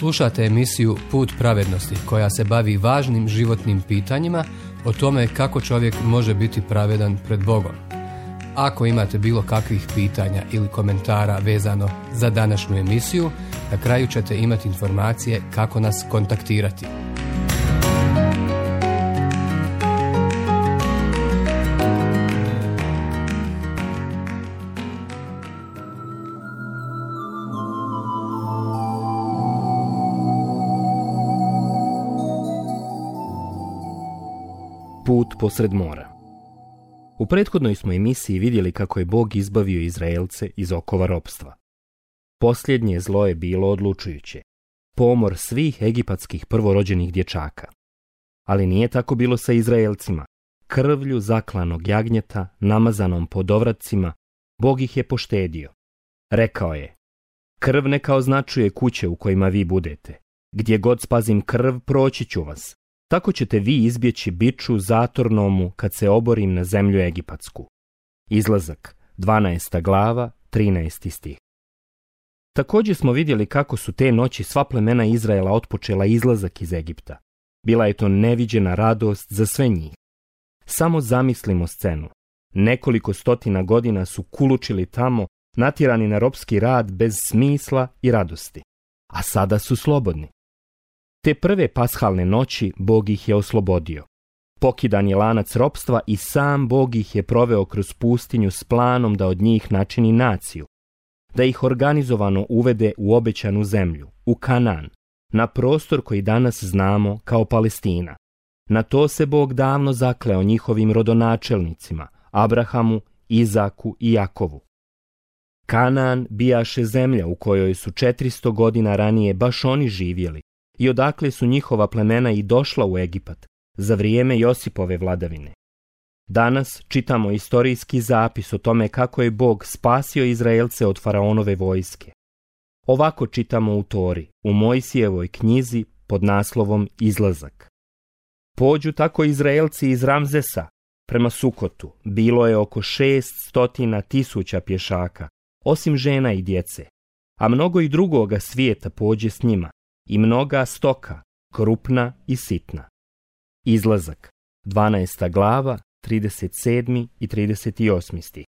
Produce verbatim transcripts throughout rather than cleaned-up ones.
Slušate emisiju Put pravednosti koja se bavi važnim životnim pitanjima o tome kako čovjek može biti pravedan pred Bogom. Ako imate bilo kakvih pitanja ili komentara vezano za današnju emisiju, na kraju ćete imati informacije kako nas kontaktirati. Put posred mora. U prethodnoj smo emisiji vidjeli kako je Bog izbavio Izraelce iz okova ropstva. Posljednje zlo je bilo odlučujuće. Pomor svih egipatskih prvorođenih dječaka. Ali nije tako bilo sa Izraelcima. Krvlju zaklanog jagnjeta, namazanom po dovracima, Bog ih je poštedio. Rekao je: krv neka označuje kuće u kojima vi budete. Gdje god spazim krv, proći ću vas. Tako ćete vi izbjeći biču zatornomu kad se oborim na zemlju egipatsku. Izlazak, dvanaesta glava, trinaesti stih. Također smo vidjeli kako su te noći sva plemena Izraela otpočela izlazak iz Egipta. Bila je to neviđena radost za sve njih. Samo zamislimo scenu. Nekoliko stotina godina su kulučili tamo, natjerani na ropski rad bez smisla i radosti. A sada su slobodni. Te prve pashalne noći Bog ih je oslobodio. Pokidan je lanac ropstva i sam Bog ih je proveo kroz pustinju s planom da od njih načini naciju, da ih organizovano uvede u obećanu zemlju, u Kanaan, na prostor koji danas znamo kao Palestina. Na to se Bog davno zakleo njihovim rodonačelnicima, Abrahamu, Izaku i Jakovu. Kanaan bijaše zemlja u kojoj su četiristo godina ranije baš oni živjeli, i odakle su njihova plemena i došla u Egipat za vrijeme Josipove vladavine. Danas čitamo istorijski zapis o tome kako je Bog spasio Izraelce od faraonove vojske. Ovako čitamo u Tori, u Mojsijevoj knjizi pod naslovom Izlazak. Pođu tako Izraelci iz Ramzesa prema Sukotu, bilo je oko šest stotina tisuća pješaka, osim žena i djece, a mnogo i drugoga svijeta pođe s njima, i mnoga stoka, krupna i sitna. Izlazak, dvanaesta glava, trideset sedmi i trideset osmi stih.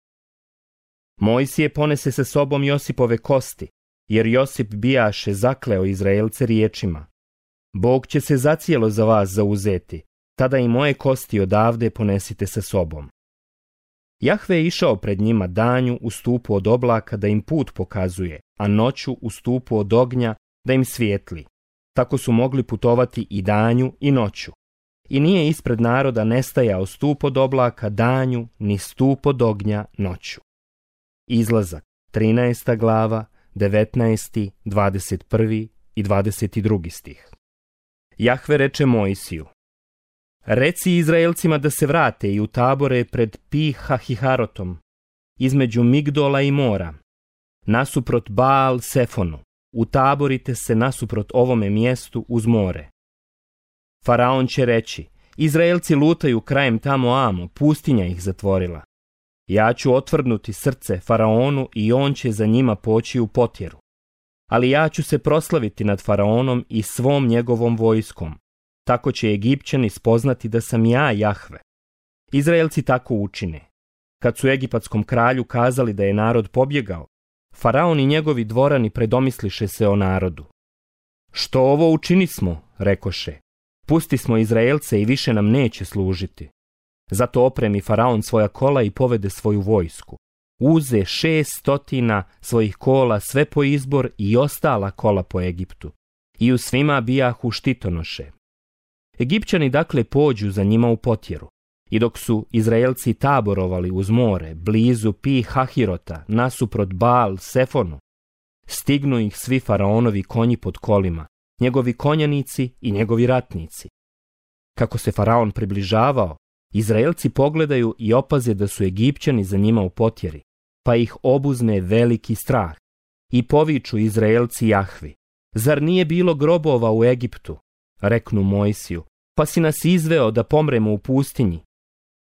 Mojsije ponese sa sobom Josipove kosti, jer Josip bijaše zakleo Izraelce riječima: Bog će se zacijelo za vas zauzeti, tada i moje kosti odavde ponesite sa sobom. Jahve je išao pred njima danju u stupu od oblaka da im put pokazuje, a noću u stupu od ognja da im svijetli. Tako su mogli putovati i danju i noću. I nije ispred naroda nestajao stup od oblaka danju, ni stup od ognja noću. Izlazak, trinaesta glava, devetnaesti, dvadeset prvi i dvadeset drugi stih. Jahve reče Mojsiju: reci Izraelcima da se vrate i utabore pred Pi-hahiharotom, između Migdola i mora, nasuprot Baal Sefonu. Utaborite se nasuprot ovome mjestu uz more. Faraon će reći: Izraelci lutaju krajem tamo amo, pustinja ih zatvorila. Ja ću otvrdnuti srce Faraonu i on će za njima poći u potjeru. Ali ja ću se proslaviti nad Faraonom i svom njegovom vojskom. Tako će Egipćani spoznati da sam ja Jahve. Izraelci tako učine. Kad su egipatskom kralju kazali da je narod pobjegao, Faraon i njegovi dvorani predomisliše se o narodu. Što ovo učinismo, rekoše, pusti smo Izraelce i više nam neće služiti. Zato opremi Faraon svoja kola i povede svoju vojsku. Uze šest stotina svojih kola sve po izbor i ostala kola po Egiptu. I u svima bijahu štitonoše. Egipćani dakle pođu za njima u potjeru. I dok su Izraelci taborovali uz more, blizu Pi-hahirota, nasuprot Baal Sefonu, stignu ih svi faraonovi konji pod kolima, njegovi konjanici i njegovi ratnici. Kako se faraon približavao, Izraelci pogledaju i opaze da su Egipćani za njima u potjeri, pa ih obuzme veliki strah. I poviču Izraelci Jahvi: zar nije bilo grobova u Egiptu? Reknu Mojsiju: pa si nas izveo da pomremo u pustinji.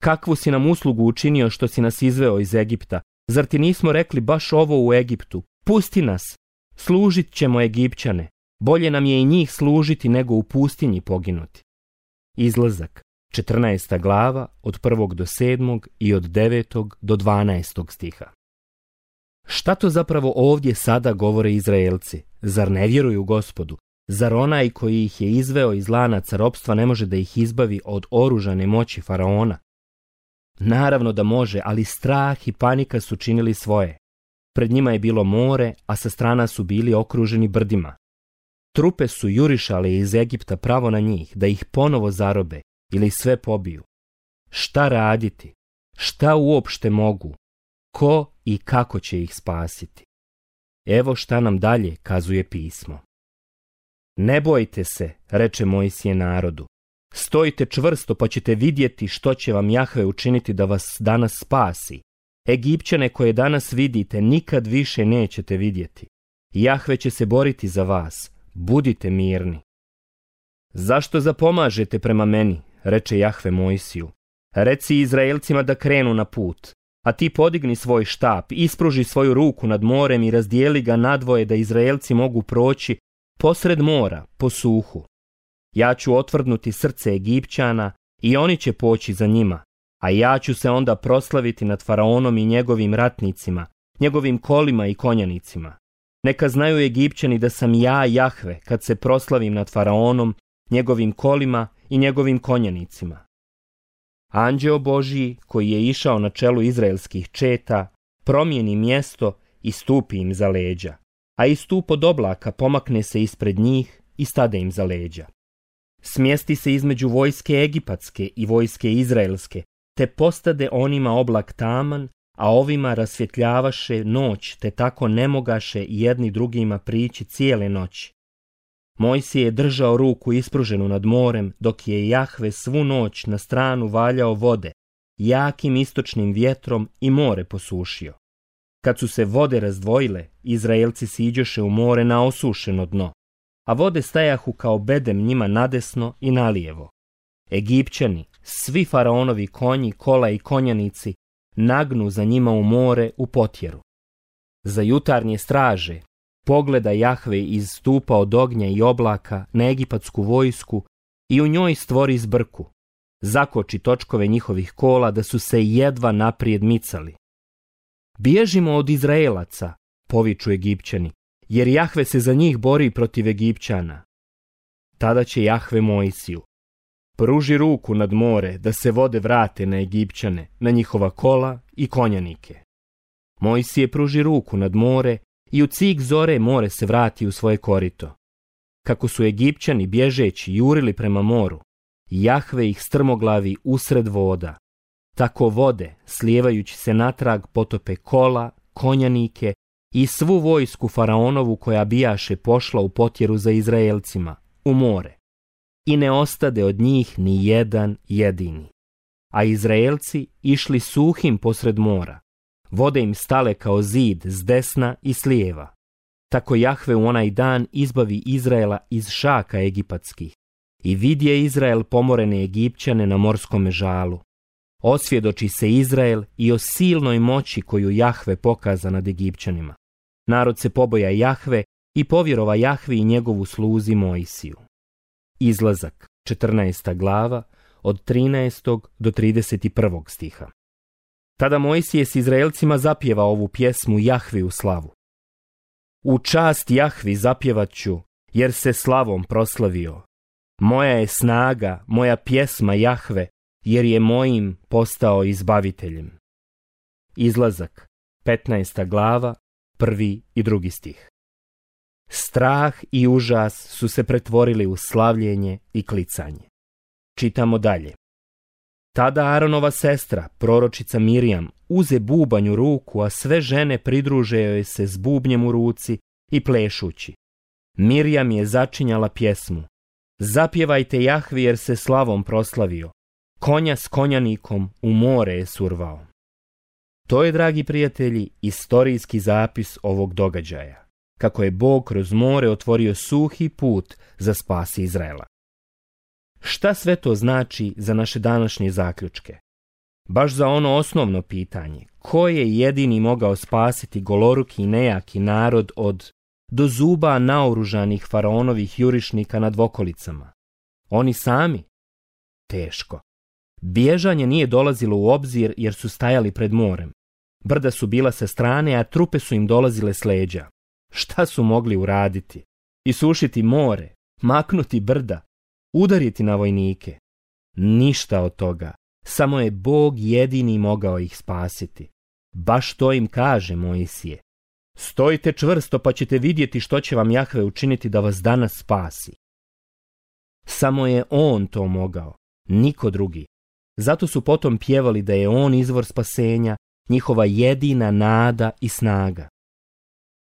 Kakvu si nam uslugu učinio što si nas izveo iz Egipta? Zar ti nismo rekli baš ovo u Egiptu? Pusti nas, služit ćemo Egipćane. Bolje nam je i njih služiti nego u pustinji poginuti. Izlazak, četrnaesta glava, od prvog do sedmog i od devetog do dvanaestog stiha. Šta to zapravo ovdje sada govore Izraelci? Zar ne vjeruju Gospodu? Zar onaj koji ih je izveo iz lanaca ropstva ne može da ih izbavi od oružane moći faraona? Naravno da može, ali strah i panika su činili svoje. Pred njima je bilo more, a sa strana su bili okruženi brdima. Trupe su jurišale iz Egipta pravo na njih, da ih ponovo zarobe ili sve pobiju. Šta raditi? Šta uopšte mogu? Ko i kako će ih spasiti? Evo šta nam dalje kazuje pismo. Ne bojte se, reče Mojsije narodu. Stojite čvrsto pa ćete vidjeti što će vam Jahve učiniti da vas danas spasi. Egipćane koje danas vidite nikad više nećete vidjeti. Jahve će se boriti za vas. Budite mirni. Zašto zapomažete prema meni, reče Jahve Mojsiju. Reci Izraelcima da krenu na put, a ti podigni svoj štap, ispruži svoju ruku nad morem i razdijeli ga nadvoje da Izraelci mogu proći posred mora, po suhu. Ja ću otvrdnuti srce Egipćana i oni će poći za njima, a ja ću se onda proslaviti nad faraonom i njegovim ratnicima, njegovim kolima i konjanicima. Neka znaju Egipćani da sam ja Jahve kad se proslavim nad faraonom, njegovim kolima i njegovim konjanicima. Anđeo Božji, koji je išao na čelu izraelskih četa, promijeni mjesto i stupi im za leđa, a i stup od oblaka pomakne se ispred njih i stade im za leđa. Smjesti se između vojske egipatske i vojske izraelske, te postade onima oblak taman, a ovima rasvjetljavaše noć, te tako ne mogaše jedni drugima prići cijele noći. Mojsije je držao ruku ispruženu nad morem, dok je Jahve svu noć na stranu valjao vode, jakim istočnim vjetrom i more posušio. Kad su se vode razdvojile, Izraelci siđoše u more na osušeno dno, a vode stajahu kao bedem njima nadesno i nalijevo. Egipćani, svi faraonovi konji, kola i konjanici, nagnu za njima u more u potjeru. Za jutarnje straže pogleda Jahve iz stupa od ognja i oblaka na egipatsku vojsku i u njoj stvori zbrku. Zakoči točkove njihovih kola da su se jedva naprijed micali. Bježimo od Izraelaca, poviču Egipćani, jer Jahve se za njih bori protiv Egipćana. Tada će Jahve Mojsiju: pruži ruku nad more da se vode vrate na Egipćane, na njihova kola i konjanike. Mojsije pruži ruku nad more i u cik zore more se vrati u svoje korito. Kako su Egipćani bježeći jurili prema moru, Jahve ih strmoglavi usred voda. Tako vode, slijevajući se natrag, potope kola, konjanike i svu vojsku faraonovu koja bijaše pošla u potjeru za Izraelcima, u more. I ne ostade od njih ni jedan jedini. A Izraelci išli suhim posred mora. Vode im stale kao zid s desna i s lijeva. Tako Jahve u onaj dan izbavi Izraela iz šaka egipatskih i vidje Izrael pomorene Egipćane na morskome žalu. Osvjedoči se Izrael i o silnoj moći koju Jahve pokaza nad Egipćanima. Narod se poboja Jahve i povjerova Jahvi i njegovu sluzi Mojsiju. Izlazak, četrnaesta glava, od trinaestog do trideset prvog stiha. Tada Mojsije s Izraelcima zapjeva ovu pjesmu Jahvi u slavu. U čast Jahvi zapjevat ću, jer se slavom proslavio. Moja je snaga, moja pjesma Jahve, jer je mojim postao izbaviteljem. Izlazak, petnaesta glava, prvi i drugi stih. Strah i užas su se pretvorili u slavljenje i klicanje. Čitamo dalje. Tada Aronova sestra, proročica Mirjam, uze bubanj u ruku, a sve žene pridruže joj se s bubnjem u ruci i plešući. Mirjam je začinjala pjesmu. Zapjevajte Jahvi jer se slavom proslavio. Konja s konjanikom u more je survao. To je, dragi prijatelji, istorijski zapis ovog događaja, kako je Bog kroz more otvorio suhi put za spas Izraela. Šta sve to znači za naše današnje zaključke? Baš za ono osnovno pitanje, ko je jedini mogao spasiti goloruki i nejaki narod od do zuba naoružanih faraonovih jurišnika nad okolicama. Oni sami? Teško. Bježanje nije dolazilo u obzir jer su stajali pred morem. Brda su bila sa strane, a trupe su im dolazile s leđa. Šta su mogli uraditi? Isušiti more, maknuti brda, udariti na vojnike? Ništa od toga. Samo je Bog jedini mogao ih spasiti. Baš to im kaže Mojsije. Stojite čvrsto pa ćete vidjeti što će vam Jahve učiniti da vas danas spasi. Samo je on to mogao, niko drugi. Zato su potom pjevali da je on izvor spasenja, njihova jedina nada i snaga.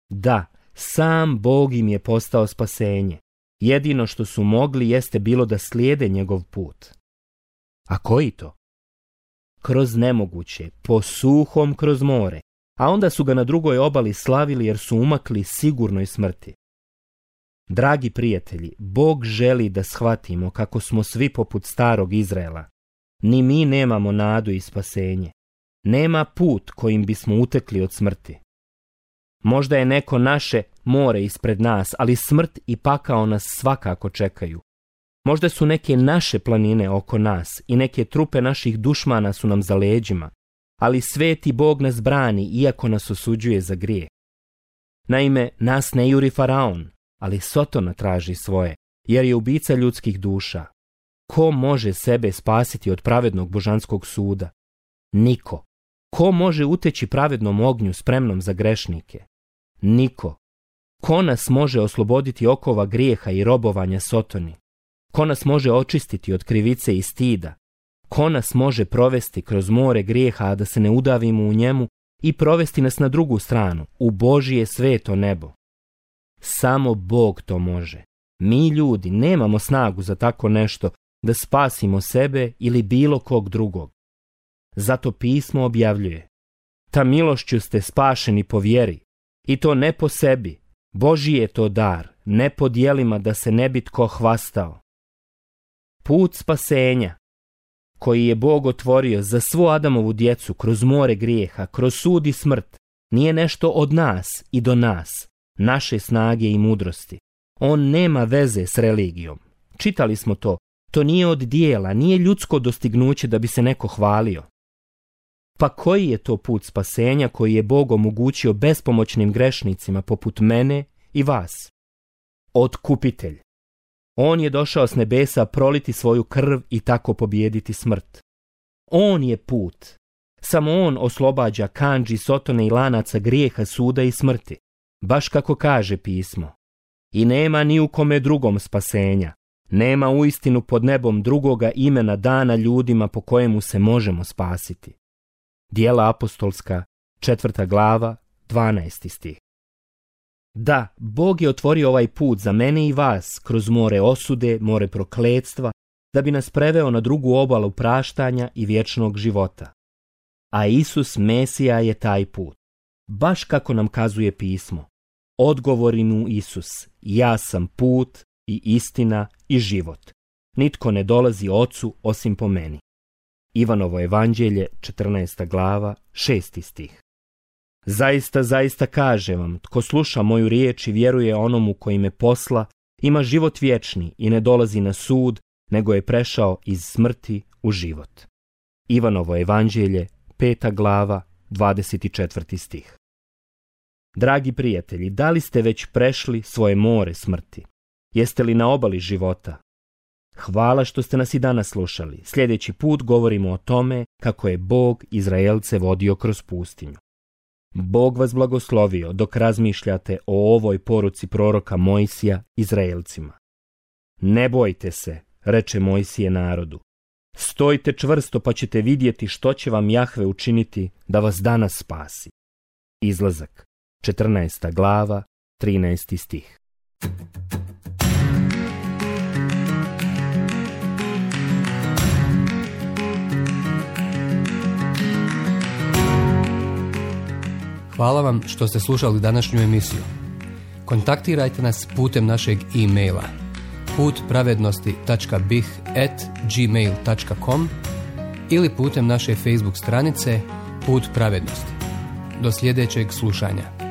Da, sam Bog im je postao spasenje. Jedino što su mogli jeste bilo da slijede njegov put. A koji to? Kroz nemoguće, po suhom kroz more, a onda su ga na drugoj obali slavili jer su umakli sigurnoj smrti. Dragi prijatelji, Bog želi da shvatimo kako smo svi poput starog Izraela. Ni mi nemamo nadu i spasenje. Nema put kojim bismo utekli od smrti. Možda je neko naše more ispred nas, ali smrt i pakao nas svakako čekaju. Možda su neke naše planine oko nas i neke trupe naših dušmana su nam za leđima, ali sveti Bog nas brani iako nas osuđuje za grijeh. Naime, nas ne juri faraon, ali Sotona traži svoje, jer je ubica ljudskih duša. Ko može sebe spasiti od pravednog božanskog suda? Niko. Ko može uteći pravednom ognju spremnom za grešnike? Niko. Ko nas može osloboditi okova grijeha i robovanja Sotoni? Ko nas može očistiti od krivice i stida? Ko nas može provesti kroz more grijeha, a da se ne udavimo u njemu i provesti nas na drugu stranu, u Božije sveto nebo? Samo Bog to može. Mi ljudi nemamo snagu za tako nešto da spasimo sebe ili bilo kog drugog. Zato pismo objavljuje: ta milošću ste spašeni po vjeri, i to ne po sebi, Božji je to dar, ne po djelima da se ne bi tko hvastao. Put spasenja, koji je Bog otvorio za svu Adamovu djecu kroz more grijeha, kroz sud i smrt, nije nešto od nas i do nas, naše snage i mudrosti. On nema veze s religijom. Čitali smo to, to nije od dijela, nije ljudsko dostignuće da bi se neko hvalio. Pa koji je to put spasenja koji je Bog omogućio bespomoćnim grešnicima poput mene i vas? Otkupitelj. On je došao s nebesa proliti svoju krv i tako pobijediti smrt. On je put. Samo on oslobađa kandži, Sotone i lanaca grijeha, suda i smrti. Baš kako kaže pismo. I nema ni u kome drugom spasenja. Nema uistinu pod nebom drugoga imena dana ljudima po kojemu se možemo spasiti. Djela apostolska, četvrta glava, dvanaesti stih. Da, Bog je otvorio ovaj put za mene i vas kroz more osude, more prokletstva, da bi nas preveo na drugu obalu praštanja i vječnog života. A Isus Mesija je taj put. Baš kako nam kazuje pismo. Odgovori mu Isus: ja sam put i istina i život. Nitko ne dolazi Ocu osim po meni. Ivanovo evanđelje, četrnaesta glava, šesti stih. Zaista, zaista kažem vam, tko sluša moju riječ i vjeruje onomu koji me posla, ima život vječni i ne dolazi na sud, nego je prešao iz smrti u život. Ivanovo evanđelje, peta glava, dvadeset četvrti stih. Dragi prijatelji, da li ste već prešli svoje more smrti? Jeste li na obali života? Hvala što ste nas i danas slušali. Sljedeći put govorimo o tome kako je Bog Izraelce vodio kroz pustinju. Bog vas blagoslovio dok razmišljate o ovoj poruci proroka Mojsija Izraelcima. Ne bojte se, reče Mojsije narodu. Stojite čvrsto pa ćete vidjeti što će vam Jahve učiniti da vas danas spasi. Izlazak, četrnaesta glava, trinaesti stih. Hvala vam što ste slušali današnju emisiju. Kontaktirajte nas putem našeg e-maila put pravednosti tačka bih at gmail tačka com ili putem naše Facebook stranice Put pravednosti. Do sljedećeg slušanja.